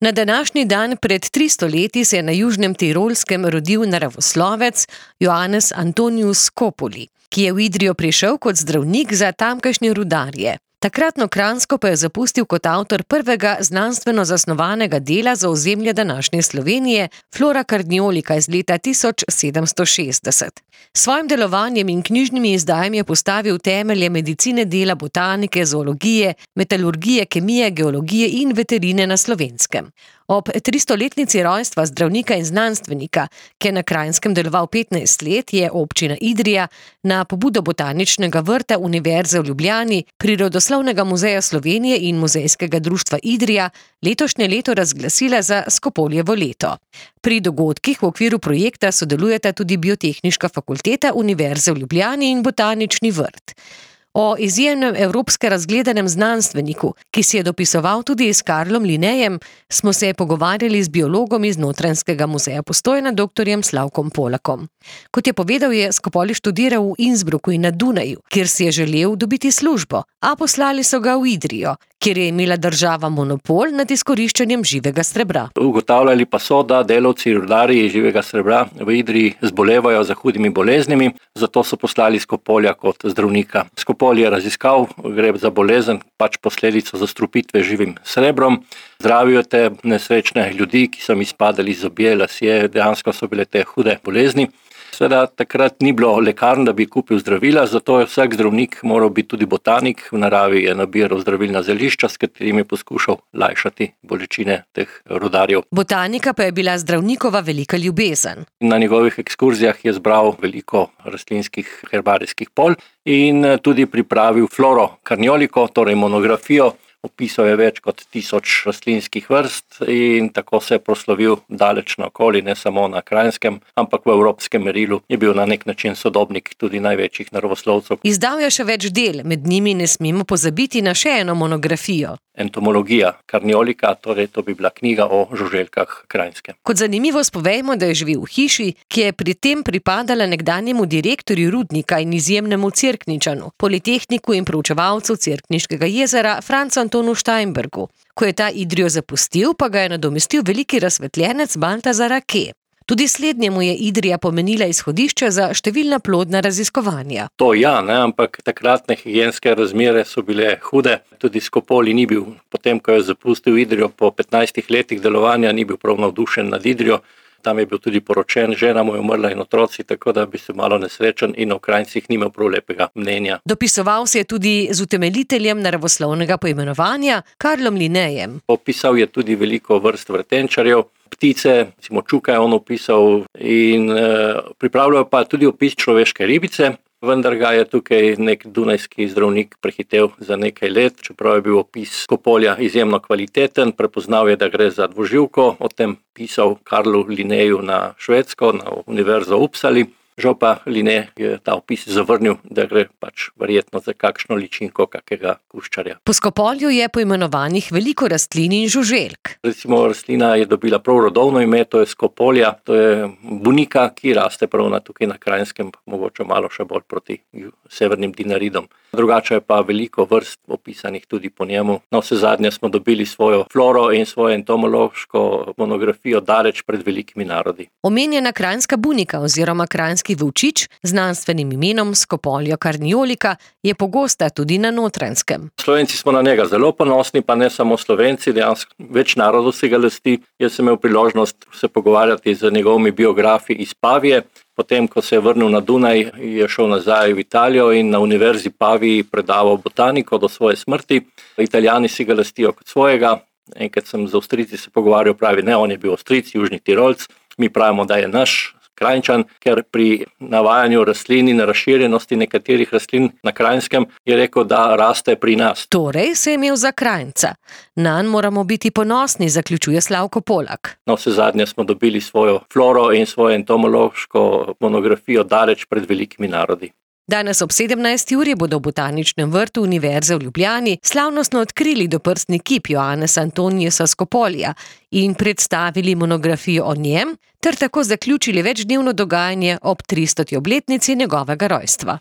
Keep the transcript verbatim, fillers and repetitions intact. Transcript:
Na današnji dan pred tristo leti se je na Južnem Tirolskem rodil naravoslovec Johannes Antonius Scopoli, ki je v Idrijo prišel kot zdravnik za tamkajšnje rudarje. Takratno Kranjsko pa je zapustil kot avtor prvega znanstveno zasnovanega dela za ozemlje današnje Slovenije, Flora Carniolica iz leta tisoč sedemsto šestdeset. S svojim delovanjem in knjižnimi izdajami je postavil temelje medicine dela, botanike, zoologije, metalurgije, kemije, geologije in veterine na Slovenskem. Ob tristoletnici rojstva zdravnika in znanstvenika, ki je na Kranjskem deloval petnajst let, je občina Idrija na pobudo Botaničnega vrta Univerze v Ljubljani, Prirodoslovnega muzeja Slovenije in Muzejskega društva Idrija letošnje leto razglasila za Scopoljevo leto. Pri dogodkih v okviru projekta sodelujeta tudi Biotehniška fakulteta Univerze v Ljubljani in Botanični vrt. O izjemnem evropske razgledanem znanstveniku, ki si je dopisoval tudi s Karlom Linnejem, smo se pogovarjali z biologom iz Notranjskega muzeja Postojna, doktorjem Slavkom Polakom. Kot je povedal, je Scopoli študiral v Innsbrucku in na Dunaju, kjer si je želel dobiti službo, a poslali so ga v Idrijo, kjer je imela država monopol nad izkoriščanjem živega srebra. Ugotavljali pa so, da delavci rudarji živega srebra v Idriji zbolevajo za hudimi boleznimi, zato so poslali Scopolija kot zdravnika. Scopoli je raziskal, gre za bolezen, pač posledico zastrupitve živim srebrom. Zdravijo te nesrečne ljudi, ki so jim izpadali zobje, lasje, dejansko so bile te hude bolezni. Seveda takrat ni bilo lekarn, da bi kupil zdravila, zato je vsak zdravnik moral biti tudi botanik. V naravi je nabiral zdravilna zelišča, s katerimi je poskušal lajšati bolečine teh rudarjev. Botanika pa je bila zdravnikova velika ljubezen. Na njegovih ekskurzijah je zbral veliko rastlinskih herbarijskih polj in tudi pripravil Floro Carniolico, torej monografijo. Opisal je več kot tisoč rastlinskih vrst in tako se je proslavil daleč naokoli, ne samo na Kranjskem, ampak v evropskem merilu je bil na nek način sodobnik tudi največjih naravoslovcev. Izdal je še več del, med njimi ne smemo pozabiti na še eno monografijo. Entomologija Carniolica, torej to bi bila knjiga o žuželkah Kranjske. Kot zanimivost povejmo, da je živel v hiši, ki je pri tem pripadala nekdanjemu direktorju rudnika in izjemnemu Cerkničanu, politehniku in proučevalcu Cerkniškega jezera Francu Antonu Steinbergu. Ko je ta Idrijo zapustil, pa ga je nadomestil veliki razsvetljenec Baltazar Ake. Tudi slednjemu je Idrija pomenila izhodišče za številna plodna raziskovanja. To ja, ne, ampak takratne higienske razmere so bile hude. Tudi Scopoli ni bil, potem ko je zapustil Idrijo po petnajstih letih delovanja, ni bil prav navdušen nad Idrijo. Tam je bil tudi poročen, žena mu je umrla in otroci, tako da bi se malo nesrečen in o Kranjcih nimel prav lepega mnenja. Dopisoval se je tudi z utemeljiteljem naravoslovnega poimenovanja Karlom Linnejem. Opisal je tudi veliko vrst vrtenčarjev, ptice, recimo čuka je on opisal in e, pripravljal pa tudi opis človeške ribice, vendar ga je tukaj nek dunajski zdravnik prehitev za nekaj let, čeprav je bil opis Scopolija izjemno kvaliteten, prepoznal je, da gre za dvoživko, o tem pisal Karlu Linneju na Švedsko, na Univerzo v Uppsali. Žal pa Linne je ta opis zavrnil, da gre pač verjetno za kakšno ličinko kakega kuščarja. Po Scopoliju je poimenovanih veliko rastlin in žuželk. Recimo rastlina je dobila prav rodovno ime, to je Scopolia, to je bunika, ki raste prav na tukaj na Kranjskem, mogoče malo še bolj proti severnim Dinaridom. Drugače je pa veliko vrst opisanih tudi po njemu. Na vse zadnje smo dobili svojo floro in svojo entomološko monografijo daleč pred velikimi narodi. Omenjena kranjska bunika oziroma kranjski volčič z znanstvenim imenom Scopolia Carniolica je pogosta tudi na Notranjskem. Slovenci smo na njega zelo ponosni, pa ne samo Slovenci, dejansko več narodov si ga lasti. Jaz sem imel priložnost se pogovarjati z njegovimi biografi iz Pavije. Potem, ko se je vrnil na Dunaj, je šel nazaj v Italijo in na Univerzi Paviji predaval botaniko do svoje smrti. Italijani si ga lastijo kot svojega. Enkrat sem z Avstrijci se pogovarjal, pravi, ne, on je bil Avstrijc, južni Tirolc. Mi pravimo, da je naš Kranjčan, ker pri navajanju rastlin in razširjenosti nekaterih rastlin na Kranjskem je rekel, da raste pri nas. Torej se je imel za Kranjca. Nanj moramo biti ponosni, zaključuje Slavko Polak. Na vse zadnje smo dobili svojo floro in svojo entomološko monografijo daleč pred velikimi narodi. Danes ob sedemnajsti uri bodo v Botaničnem vrtu Univerze v Ljubljani slavnostno odkrili doprstni kip Johannesa Antoniusa Scopolija in predstavili monografijo o njem, ter tako zaključili večdnevno dogajanje ob tristoti obletnici njegovega rojstva.